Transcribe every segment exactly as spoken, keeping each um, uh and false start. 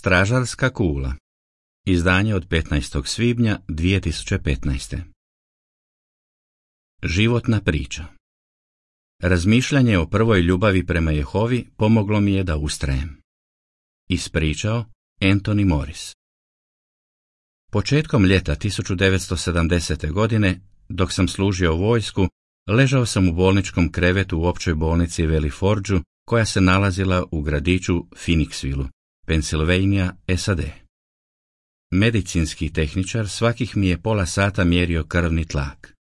Stražarska kula. Izdanje od petnaestog svibnja dvije tisuće petnaeste. Životna priča. Razmišljanje o prvoj ljubavi prema Jehovi pomoglo mi je da ustrajem. Ispričao Anthony Morris. Početkom ljeta tisuću devetsto sedamdesete. godine, dok sam služio vojsku, ležao sam u bolničkom krevetu u općoj bolnici Valley Forgeu, koja se nalazila u gradiću Phoenixvilleu, Pennsylvania, S A D. Medicinski tehničar svakih mi je pola sata mjerio krvni tlak.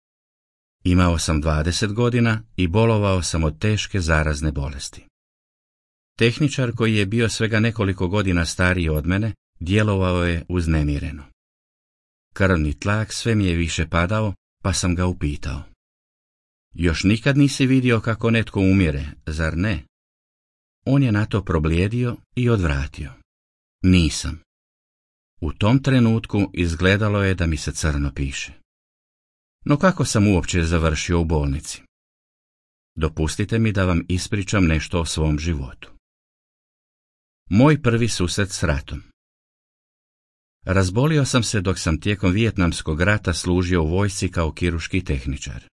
Imao sam dvadeset godina i bolovao sam od teške zarazne bolesti. Tehničar, koji je bio svega nekoliko godina stariji od mene, djelovao je uznemireno. Krvni tlak sve mi je više padao, pa sam ga upitao. Još nikad nisi vidio kako netko umire, zar ne? On je na to problijedio i odvratio. Nisam. U tom trenutku izgledalo je da mi se crno piše. No kako sam uopće završio u bolnici? Dopustite mi da vam ispričam nešto o svom životu. Moj prvi susret s ratom. Razbolio sam se dok sam tijekom Vijetnamskog rata služio u vojsci kao kirurški tehničar.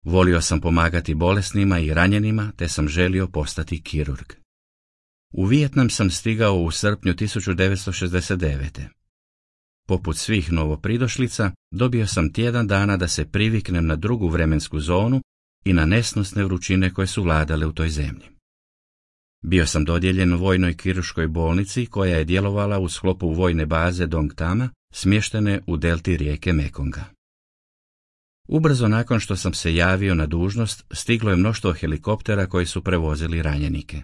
Volio sam pomagati bolesnima i ranjenima, te sam želio postati kirurg. U Vijetnam sam stigao u srpnju tisuću devetsto šezdeset devete. Poput svih novopridošlica, dobio sam tjedan dana da se priviknem na drugu vremensku zonu i na nesnosne vrućine koje su vladale u toj zemlji. Bio sam dodijeljen vojnoj kirurškoj bolnici koja je djelovala u sklopu vojne baze Dong Tama, smještene u delti rijeke Mekonga. Ubrzo nakon što sam se javio na dužnost, stiglo je mnoštvo helikoptera koji su prevozili ranjenike.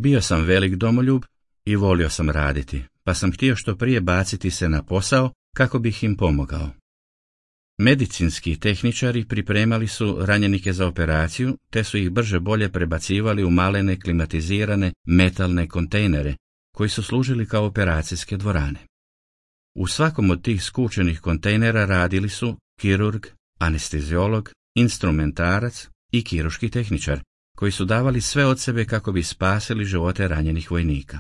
Bio sam velik domoljub i volio sam raditi, pa sam htio što prije baciti se na posao kako bih im pomogao. Medicinski tehničari pripremali su ranjenike za operaciju, te su ih brže bolje prebacivali u malene klimatizirane metalne kontejnere, koji su služili kao operacijske dvorane. U svakom od tih skučenih kontejnera radili su kirurg, anesteziolog, instrumentarac i kirurški tehničar, koji su davali sve od sebe kako bi spasili živote ranjenih vojnika.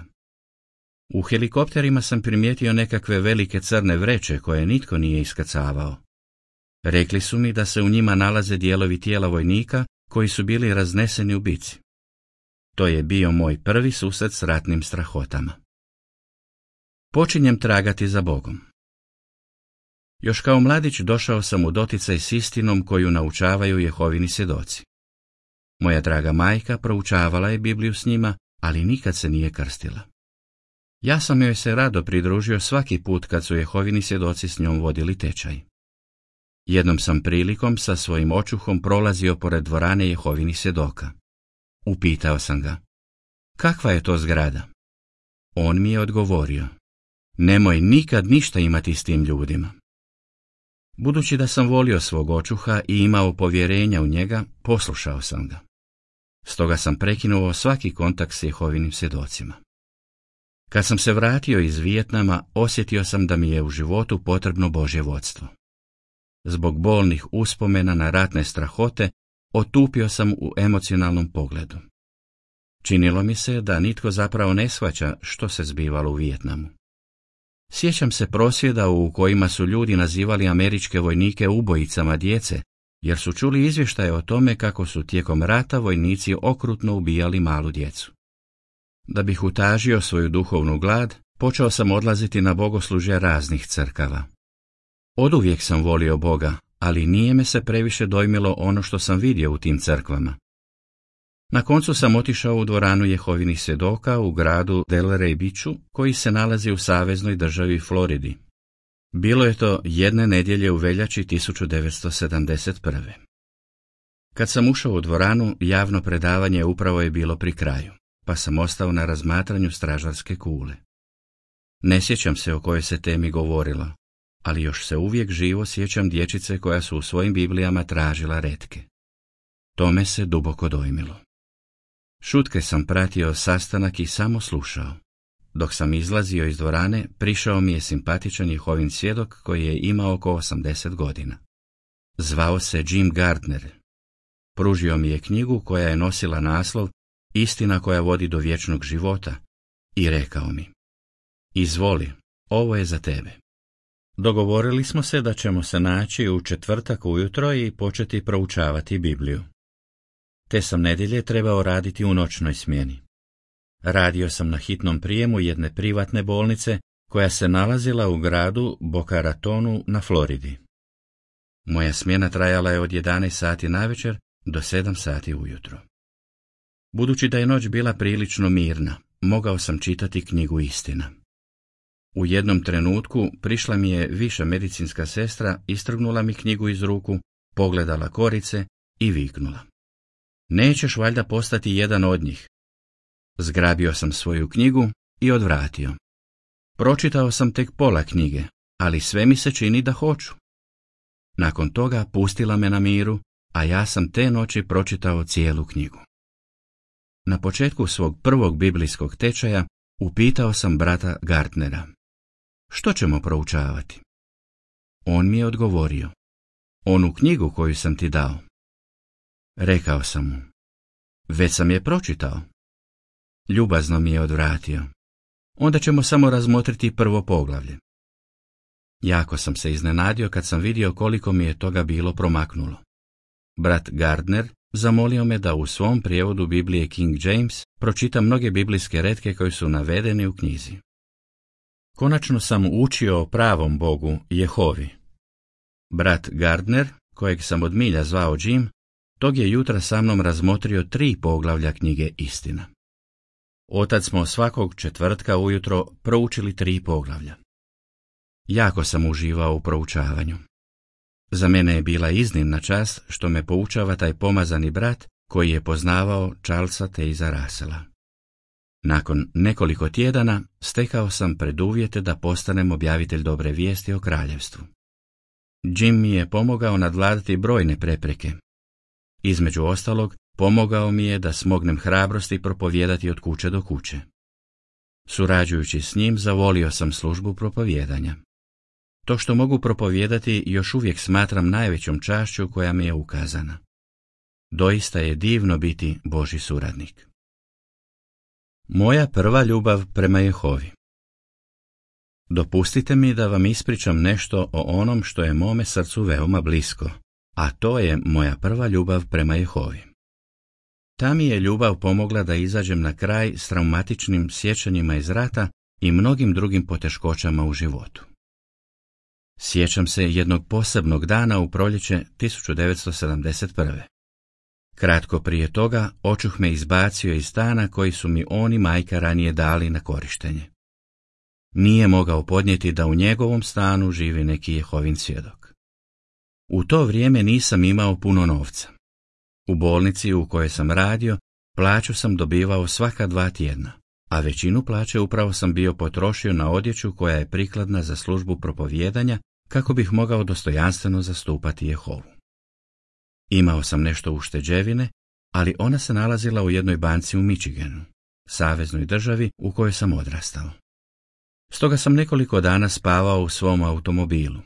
U helikopterima sam primijetio nekakve velike crne vreće koje nitko nije iskrcavao. Rekli su mi da se u njima nalaze dijelovi tijela vojnika koji su bili razneseni u bici. To je bio moj prvi susret s ratnim strahotama. Počinjem tragati za Bogom. Još kao mladić došao sam u doticaj s istinom koju naučavaju Jehovini svjedoci. Moja draga majka proučavala je Bibliju s njima, ali nikad se nije krstila. Ja sam joj se rado pridružio svaki put kad su Jehovini svjedoci s njom vodili tečaj. Jednom sam prilikom sa svojim očuhom prolazio pored dvorane Jehovinih svjedoka. Upitao sam ga, kakva je to zgrada? On mi je odgovorio, nemoj nikad ništa imati s tim ljudima. Budući da sam volio svog očuha i imao povjerenja u njega, poslušao sam ga. Stoga sam prekinuo svaki kontakt s Jehovinim svjedocima. Kad sam se vratio iz Vijetnama, osjetio sam da mi je u životu potrebno Božje vodstvo. Zbog bolnih uspomena na ratne strahote, otupio sam u emocionalnom pogledu. Činilo mi se da nitko zapravo ne shvaća što se zbivalo u Vijetnamu. Sjećam se prosvjeda u kojima su ljudi nazivali američke vojnike ubojicama djece, jer su čuli izvještaje o tome kako su tijekom rata vojnici okrutno ubijali malu djecu. Da bih utažio svoju duhovnu glad, počeo sam odlaziti na bogoslužje raznih crkava. Oduvijek sam volio Boga, ali nije me se previše dojmilo ono što sam vidio u tim crkvama. Na koncu sam otišao u dvoranu Jehovinih svjedoka u gradu Delray Beachu, koji se nalazi u saveznoj državi Floridi. Bilo je to jedne nedjelje u veljači tisuću devetsto sedamdeset prve. Kad sam ušao u dvoranu, javno predavanje upravo je bilo pri kraju, pa sam ostao na razmatranju stražarske kule. Ne sjećam se o kojoj se temi govorilo, ali još se uvijek živo sjećam dječice koja su u svojim Biblijama tražila retke. To me se duboko dojmilo. Šutke sam pratio sastanak i samo slušao. Dok sam izlazio iz dvorane, prišao mi je simpatičan Jehovin svjedok koji je imao oko osamdeset godina. Zvao se Jim Gardner. Pružio mi je knjigu koja je nosila naslov Istina koja vodi do vječnog života i rekao mi, Izvoli, ovo je za tebe. Dogovorili smo se da ćemo se naći u četvrtak ujutro i početi proučavati Bibliju. Te sam nedjelje trebao raditi u noćnoj smjeni. Radio sam na hitnom prijemu jedne privatne bolnice koja se nalazila u gradu Boca Ratonu na Floridi. Moja smjena trajala je od jedanaest sati navečer do sedam sati ujutro. Budući da je noć bila prilično mirna, mogao sam čitati knjigu Istina. U jednom trenutku prišla mi je viša medicinska sestra, istrgnula mi knjigu iz ruku, pogledala korice i viknula: "Nećeš valjda postati jedan od njih?" Zgrabio sam svoju knjigu i odvratio. Pročitao sam tek pola knjige, ali sve mi se čini da hoću. Nakon toga pustila me na miru, a ja sam te noći pročitao cijelu knjigu. Na početku svog prvog biblijskog tečaja upitao sam brata Gardnera: "Što ćemo proučavati?" On mi je odgovorio: "Onu knjigu koju sam ti dao." Rekao sam mu: "Već sam je pročitao." Ljubazno mi je odvratio: "Onda ćemo samo razmotriti prvo poglavlje." Jako sam se iznenadio kad sam vidio koliko mi je toga bilo promaknulo. Brat Gardner zamolio me da u svom prijevodu Biblije King James pročitam mnoge biblijske retke koji su navedeni u knjizi. Konačno sam učio o pravom Bogu Jehovi. Brat Gardner, kojeg sam od milja zvao Jim, tog je jutra sa mnom razmotrio tri poglavlja knjige Istina. Otad smo svakog četvrtka ujutro proučili tri poglavlja. Jako sam uživao u proučavanju. Za mene je bila iznimna čast što me poučava taj pomazani brat koji je poznavao Charlesa Taze Russella. Nakon nekoliko tjedana stekao sam preduvjete da postanem objavitelj dobre vijesti o kraljevstvu. Jim mi je pomogao nadvladati brojne prepreke. Između ostalog, pomogao mi je da smognem hrabrosti propovijedati od kuće do kuće. Surađujući s njim, zavolio sam službu propovijedanja. To što mogu propovijedati još uvijek smatram najvećom čašću koja mi je ukazana. Doista je divno biti Božji suradnik. Moja prva ljubav prema Jehovi. Dopustite mi da vam ispričam nešto o onom što je mome srcu veoma blisko, a to je moja prva ljubav prema Jehovi. Ta mi je ljubav pomogla da izađem na kraj s traumatičnim sjećanjima iz rata i mnogim drugim poteškoćama u životu. Sjećam se jednog posebnog dana u proljeće tisuću devetsto sedamdeset prve. Kratko prije toga očuh me izbacio iz stana koji su mi on i majka ranije dali na korištenje. Nije mogao podnijeti da u njegovom stanu živi neki Jehovin svjedok. U to vrijeme nisam imao puno novca. U bolnici u kojoj sam radio plaću sam dobivao svaka dva tjedna, a većinu plaće upravo sam bio potrošio na odjeću koja je prikladna za službu propovijedanja kako bih mogao dostojanstveno zastupati Jehovu. Imao sam nešto ušteđevine, ali ona se nalazila u jednoj banci u Michiganu, saveznoj državi u kojoj sam odrastao. Stoga sam nekoliko dana spavao u svom automobilu.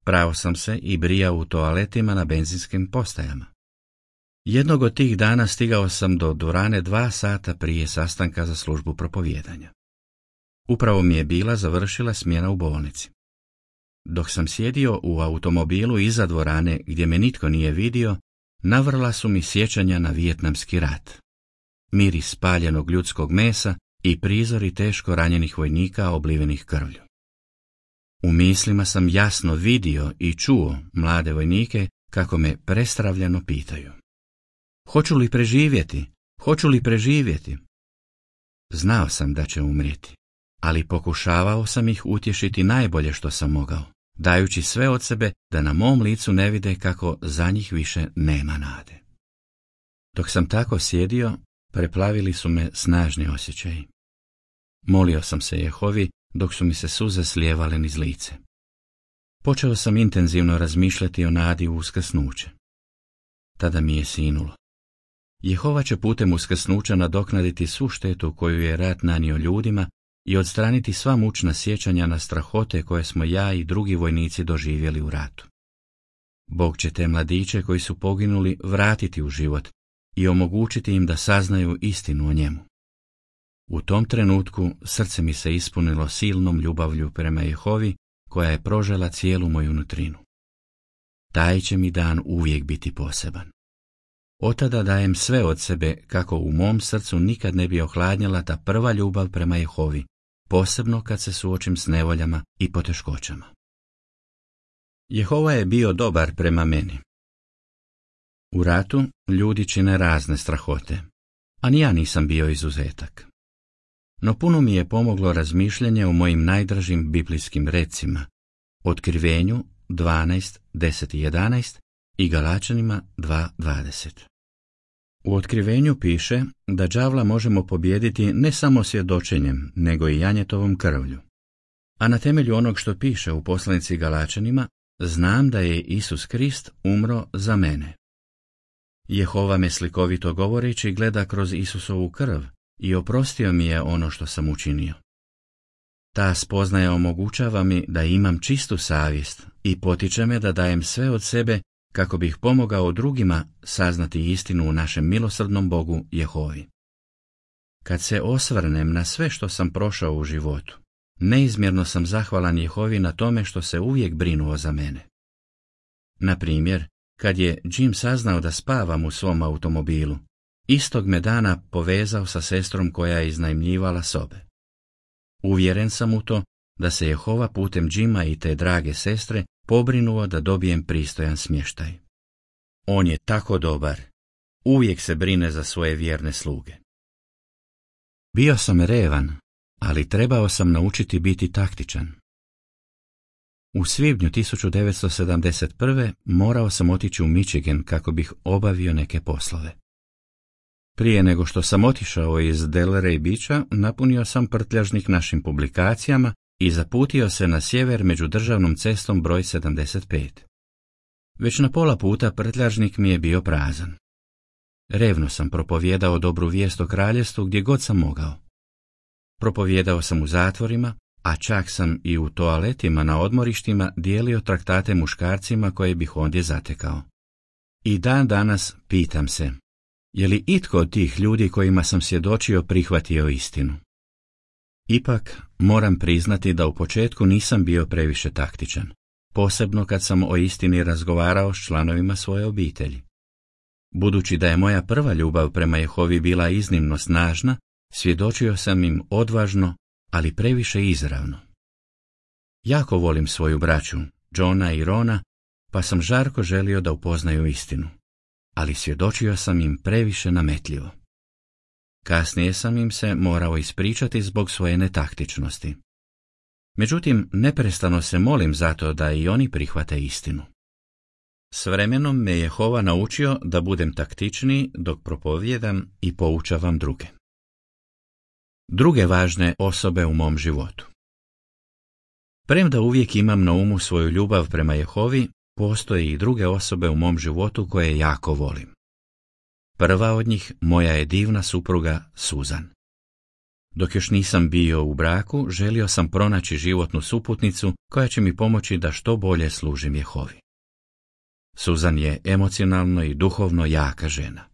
Prao sam se i brijao u toaletima na benzinskim postajama. Jednog od tih dana stigao sam do dvorane dva sata prije sastanka za službu propovijedanja. Upravo mi je bila završila smjena u bolnici. Dok sam sjedio u automobilu iza dvorane gdje me nitko nije vidio, navrla su mi sjećanja na vijetnamski rat. Miris spaljenog ljudskog mesa i prizori teško ranjenih vojnika oblivenih krvlju. U mislima sam jasno vidio i čuo mlade vojnike kako me prestravljeno pitaju: "Hoću li preživjeti? Hoću li preživjeti?" Znao sam da će umrijeti, ali pokušavao sam ih utješiti najbolje što sam mogao, dajući sve od sebe da na mom licu ne vide kako za njih više nema nade. Dok sam tako sjedio, preplavili su me snažni osjećaji. Molio sam se Jehovi dok su mi se suze slijevale niz lice. Počeo sam intenzivno razmišljati o nadi u uskrsnuće. Tada mi je sinulo. Jehova će putem uskrsnuća nadoknaditi svu štetu koju je rat nanio ljudima i odstraniti sva mučna sjećanja na strahote koje smo ja i drugi vojnici doživjeli u ratu. Bog će te mladiće koji su poginuli vratiti u život i omogućiti im da saznaju istinu o njemu. U tom trenutku srce mi se ispunilo silnom ljubavlju prema Jehovi koja je prožela cijelu moju nutrinu. Taj će mi dan uvijek biti poseban. Otada dajem sve od sebe kako u mom srcu nikad ne bi ohladnjala ta prva ljubav prema Jehovi, posebno kad se suočim s nevoljama i poteškoćama. Jehova je bio dobar prema meni. U ratu ljudi čine razne strahote, a ni ja nisam bio izuzetak. No puno mi je pomoglo razmišljanje o mojim najdražim biblijskim recima, Otkrivenju dvanaest, deset i jedanaest i Galačanima dva dvadeset. U Otkrivenju piše da đavla možemo pobijediti ne samo svjedočenjem, nego i janjetovom krvlju. A na temelju onog što piše u poslanici Galačanima, znam da je Isus Krist umro za mene. Jehova me slikovito govoreći gleda kroz Isusovu krv i oprostio mi je ono što sam učinio. Ta spoznaja omogućava mi da imam čistu savjest i potiče me da dajem sve od sebe kako bih pomogao drugima saznati istinu u našem milosrdnom Bogu Jehovi. Kad se osvrnem na sve što sam prošao u životu, neizmjerno sam zahvalan Jehovi na tome što se uvijek brinuo za mene. Na primjer, kad je Jim saznao da spavam u svom automobilu, istog me dana povezao sa sestrom koja je iznajmljivala sobe. Uvjeren sam u to da se Jehova putem Jima i te drage sestre pobrinuo da dobijem pristojan smještaj. On je tako dobar, uvijek se brine za svoje vjerne sluge. Bio sam revan, ali trebao sam naučiti biti taktičan. U svibnju tisuću devetsto sedamdeset prve morao sam otići u Michigan kako bih obavio neke poslove. Prije nego što sam otišao iz Delray Beacha, napunio sam prtljažnik našim publikacijama i zaputio se na sjever među državnom cestom broj sedamdeset pet. Već na pola puta prtljažnik mi je bio prazan. Revno sam propovijedao dobru vijest o kraljevstvu gdje god sam mogao. Propovijedao sam u zatvorima, a čak sam i u toaletima na odmorištima dijelio traktate muškarcima koje bih ondje zatekao. I dan danas pitam se, je li itko od tih ljudi kojima sam svjedočio prihvatio istinu? Ipak, moram priznati da u početku nisam bio previše taktičan, posebno kad sam o istini razgovarao s članovima svoje obitelji. Budući da je moja prva ljubav prema Jehovi bila iznimno snažna, svjedočio sam im odvažno, ali previše izravno. Jako volim svoju braću, Johna i Rona, pa sam žarko želio da upoznaju istinu, ali svjedočio sam im previše nametljivo. Kasnije sam im se morao ispričati zbog svoje netaktičnosti. Međutim, neprestano se molim zato da i oni prihvate istinu. S vremenom me Jehova naučio da budem taktičniji dok propovijedam i poučavam druge. Druge važne osobe u mom životu. Premda uvijek imam na umu svoju ljubav prema Jehovi, postoje i druge osobe u mom životu koje jako volim. Prva od njih moja je divna supruga Susan. Dok još nisam bio u braku, želio sam pronaći životnu suputnicu koja će mi pomoći da što bolje služim Jehovi. Susan je emocionalno i duhovno jaka žena.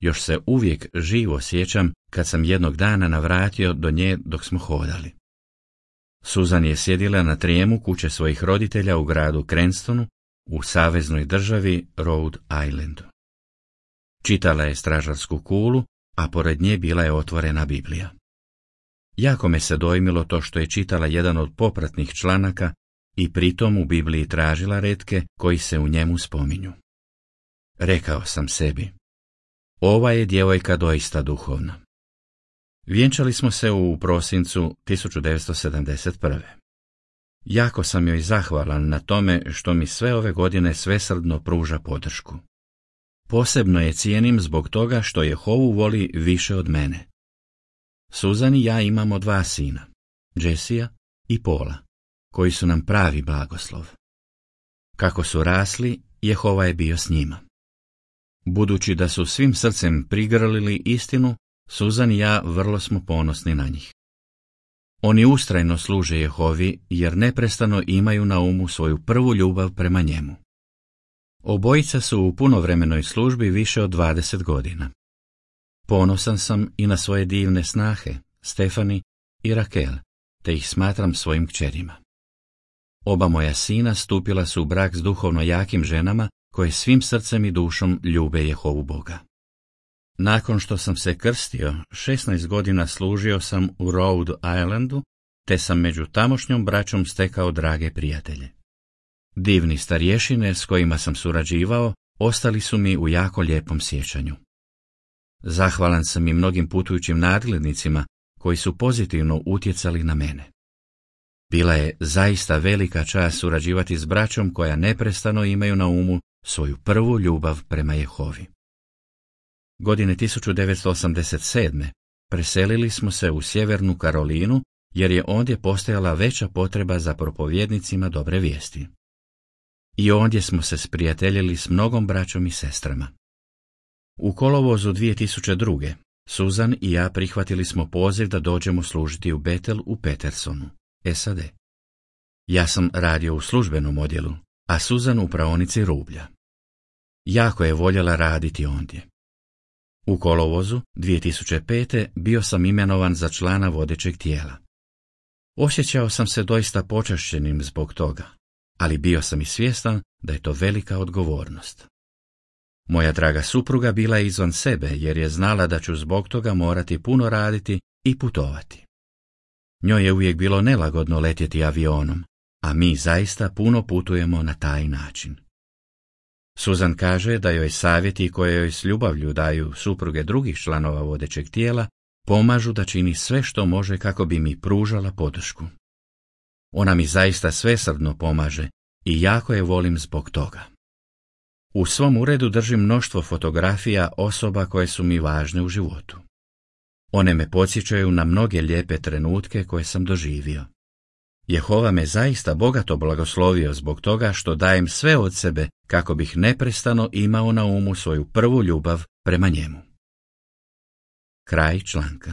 Još se uvijek živo sjećam kad sam jednog dana navratio do nje dok smo hodali. Susan je sjedila na trijemu kuće svojih roditelja u gradu Cranstonu u saveznoj državi Rhode Islandu. Čitala je stražarsku kulu, a pored nje bila je otvorena Biblija. Jako me se dojmilo to što je čitala jedan od popratnih članaka i pritom u Bibliji tražila retke koji se u njemu spominju. Rekao sam sebi, ova je djevojka doista duhovna. Vjenčali smo se u prosincu tisuću devetsto sedamdeset prve. Jako sam joj zahvalan na tome što mi sve ove godine svesrdno pruža podršku. Posebno je cijenim zbog toga što Jehovu voli više od mene. Susan i ja imamo dva sina, Jessija i Paula, koji su nam pravi blagoslov. Kako su rasli, Jehova je bio s njima. Budući da su svim srcem prigrlili istinu, Susan i ja vrlo smo ponosni na njih. Oni ustrajno služe Jehovi jer neprestano imaju na umu svoju prvu ljubav prema njemu. Obojica su u punovremenoj službi više od dvadeset godina. Ponosan sam i na svoje divne snahe, Stefani i Rakel, te ih smatram svojim kćerima. Oba moja sina stupila su u brak s duhovno jakim ženama koje svim srcem i dušom ljube Jehovu Boga. Nakon što sam se krstio, šesnaest godina služio sam u Rhode Islandu, te sam među tamošnjom braćom stekao drage prijatelje. Divni starješine s kojima sam surađivao ostali su mi u jako lijepom sjećanju. Zahvalan sam i mnogim putujućim nadglednicima koji su pozitivno utjecali na mene. Bila je zaista velika čast surađivati s braćom koja neprestano imaju na umu svoju prvu ljubav prema Jehovi. Godine tisuću devetsto osamdeset sedme preselili smo se u Sjevernu Karolinu jer je ondje postojala veća potreba za propovjednicima dobre vijesti. I ondje smo se sprijateljili s mnogom braćom i sestrama. U kolovozu dvije tisuće druge. Susan i ja prihvatili smo poziv da dođemo služiti u Betel u Petersonu, S A D. Ja sam radio u službenom odjelu, a Susan u praonici rublja. Jako je voljela raditi ondje. U kolovozu dvije tisuće pete. bio sam imenovan za člana vodećeg tijela. Osjećao sam se doista počašćenim zbog toga, ali bio sam i svjestan da je to velika odgovornost. Moja draga supruga bila je izvan sebe jer je znala da ću zbog toga morati puno raditi i putovati. Njoj je uvijek bilo nelagodno letjeti avionom, a mi zaista puno putujemo na taj način. Susan kaže da joj savjeti koje joj s ljubavlju daju supruge drugih članova vodećeg tijela pomažu da čini sve što može kako bi mi pružala podršku. Ona mi zaista svesrdno pomaže i jako je volim zbog toga. U svom uredu držim mnoštvo fotografija osoba koje su mi važne u životu. One me podsjećaju na mnoge lijepe trenutke koje sam doživio. Jehova me zaista bogato blagoslovio zbog toga što dajem sve od sebe kako bih neprestano imao na umu svoju prvu ljubav prema njemu. Kraj članka.